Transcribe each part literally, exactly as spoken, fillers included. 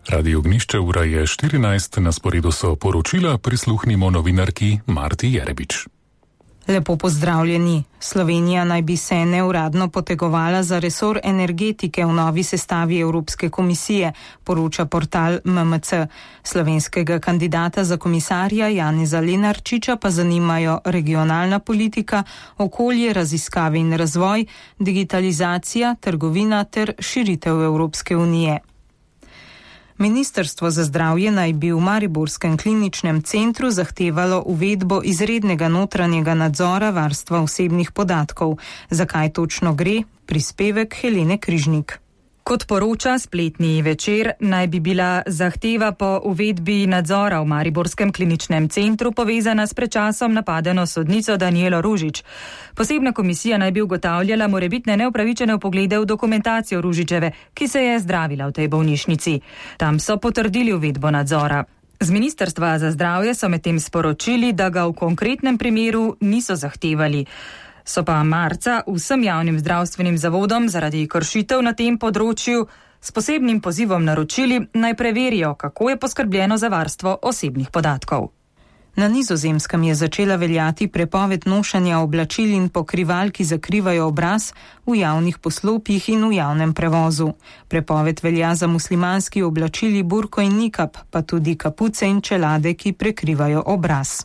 Radio Ognišče, ura je štirinajst, na sporedu so poročila, prisluhnimo novinarki Marti Jerebič. Lepo pozdravljeni. Slovenija naj bi se neuradno potegovala za resor energetike v novi sestavi Evropske komisije, poroča portal M M C. Slovenskega kandidata za komisarja Janeza Lenarčiča pa zanimajo regionalna politika, okolje, raziskave in razvoj, digitalizacija, trgovina ter širitev Evropske unije. Ministrstvo za zdravje naj bi v mariborskem kliničnem centru zahtevalo uvedbo izrednega notranjega nadzora varstva osebnih podatkov. Zakaj točno gre? Prispevek Helene Križnik. Kot poroča spletni Večer, naj bi bila zahteva po uvedbi nadzora v mariborskem kliničnem centru povezana s pred časom napadeno sodnico Danijelo Ružič. Posebna komisija naj bi ugotavljala morebitne neupravičene vpoglede v dokumentacijo Ružičeve, ki se je zdravila v tej bolnišnici. Tam so potrdili uvedbo nadzora. Z Ministrstva za zdravje so medtem sporočili, da ga v konkretnem primeru niso zahtevali. So pa marca vsem javnim zdravstvenim zavodom zaradi kršitev na tem področju s posebnim pozivom naročili, naj preverijo, kako je poskrbljeno za varstvo osebnih podatkov. Na Nizozemskem je začela veljati prepoved nošenja oblačil in pokrival, ki zakrivajo obraz, v javnih poslopjih in v javnem prevozu. Prepoved velja za muslimanski oblačili burko in nikab, pa tudi kapuce in čelade, ki prekrivajo obraz.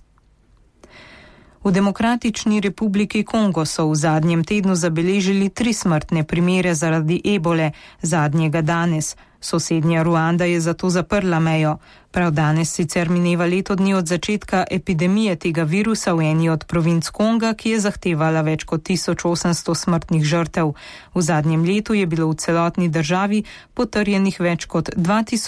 V Demokratični republiki Kongo so v zadnjem tednu zabeležili tri smrtne primere zaradi ebole, zadnjega danes. Sosednja Ruanda je zato zaprla mejo. Prav danes sicer mineva leto dni od začetka epidemije tega virusa v eni od provinc Konga, ki je zahtevala več kot tisoč osemsto smrtnih žrtev. V zadnjem letu je bilo v celotni državi potrjenih več kot dva tisoč